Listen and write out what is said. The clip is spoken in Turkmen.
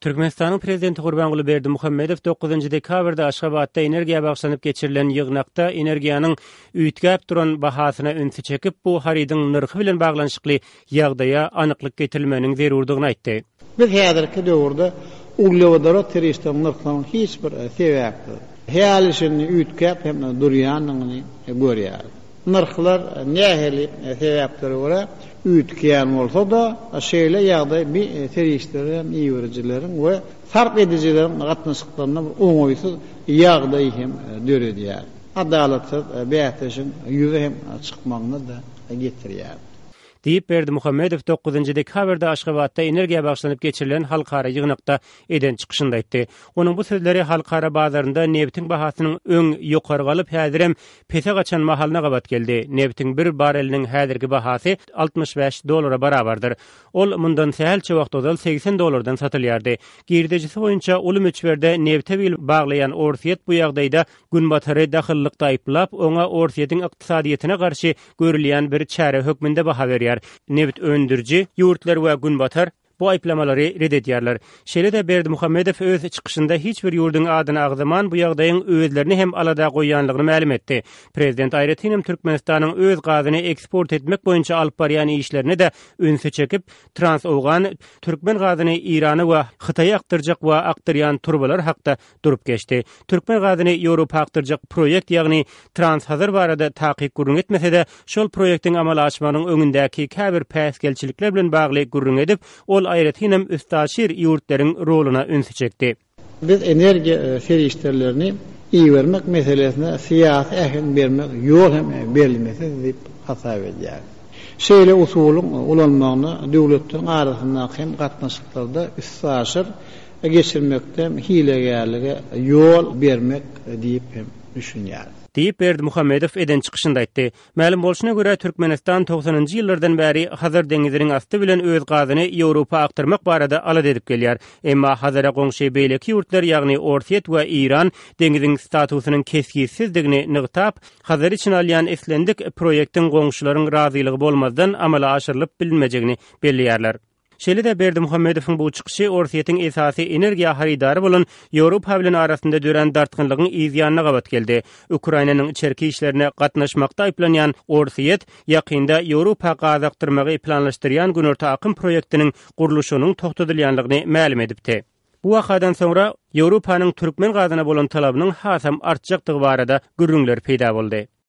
Türkmenistanyň Prezidenti Gurbanguly Berdimuhamedow dokuzynjy dekabrda Aşgabatda energiýa bagyşlanyp geçirilen ýygnakda energiýanyň üýtgäp duran bahasyna ünsi çekip, bu harydyň nyrhy bilen baglanyşykly ýagdaýa anyklyk getirilmeginiň zerurdygyny aýtdy. Biz häzirki döwürde uglewodorod serişdeleriniň nyrhlarynyň hiç bir sebäpsiz, häli-şindi üýtgäp hem durýandygyny görýäris. Nyrhlar nähili sebäplere görä üýtgeýän bolsa-da, şeýle ýagdaý bi serişdeleri hem iberijileriň we sarp edijileriň gatnaşyklarynda bir oňaýsyz ýagdaý hem döredýär. Adalatsyz bäsleşigiň ýüze hem çykmagyna-da getirýär. Diýip, Berdimuhamedow dokuzynjy dekabrda Aşgabatda energiýa bagyşlanyp geçirilen halkara ýygnakda eden çykyşynda aýtdy. Onuň bu sözleri halkara bazarynda nebitiň bahasynyň öň ýokary galyp, häzirem pese gaçan mahalyna gabat geldi. Nebitiň bir bareliniň häzirki bahasy 65 dollara barabardyr. Ol mundan sähelçe wagt ozal 80 dollardan satylýardy. Girdejisi boýunça uly möçberde nebite bil baglaýan Orsýet bu ýagdaýda Günbatary dahyllykda aýyplap, oňa Orsýetiň ykdysadyýetine garşy görülýän bir çäre hökmünde baha berýär. Nebit öndüriji ýurtlar we Günbatar bu aýyplamalary ret edýärler. Şeýle-de Berdimuhamedow öz çykyşynda hiç bir ýurduň adyny agzaman, bu ýagdaýyň özlerini hem alada goýýanlygyny mälim etdi. Prezident aýratynam Türkmenistanyň öz gazyny eksport etmek boýunça alyp barýan işlerine-de ünsi çekip, Trans-Owgan türkmen gazyny Eýrana we Hytaýa akdyrjak we akdyrýan turbalar hakda durup geçdi. Türkmen gazyny Ýewropa akdyrjak proýekt, ýagny Trans-Hazar barada takyk gürrüň etmese-de, şol proýektiň amala aşmagynyň öňündäki käbir päsgelçilikler bilen bagly gürrüň edip, ol aýratynam üstaşyr ýurtlaryň roluna ünsi çekdi. Biz energiýa serişdelerini ibermek meselesine syýasy äheň bermek ýol hem berilmesiz diýip hasap edýäris. Şeýle usulyň ulanmagyna döwletleriň arasyndaky hem gatnaşyklarda üstaşyr geçirmekde hilegärlige ýol bermek diýip hem düşünýäris. Diýip, Berdimuhamedow eden çykyşynda aýtdy. Mälim bolşuna görä, Türkmenistan togsanynjy ýyllardan bäri Hazar deňiziniň asty bilen öz gazyny Ýewropa akdyrmak barada alada edip gelýär. Emma Hazara goňşy beýleki ýurtlar, ýagny Orsýet we Eýran deňiziň statusynyň kesgitsizdigini nygtap, Hazary içine alýan islendik proýektiň goňşularyň razylygy bolmazdan amala aşyrylyp bilinmejegini belleýärler. Şeýle-de Berdimuhamedowyň bu çykyşy Orsýetiň esasy energiýa harydary bolan Ýewropa bilen arasynda dörän dartgynlygyň yz ýanyna gabat geldi. Ukrainanyň içerki işlerine gatnaşmakda aýyplanýan Orsýet ýakynda Ýewropa gaz akdyrmagy planlaşdyrýan Günorta akym proýektiniň gurluşygynyň togtadylýanlygyny mälim edipdi. Bu wakadan soňra Ýewropanyň türkmen gazyna bolan talabynyň hasam artjakdygy barada gürrüňler peýda boldy.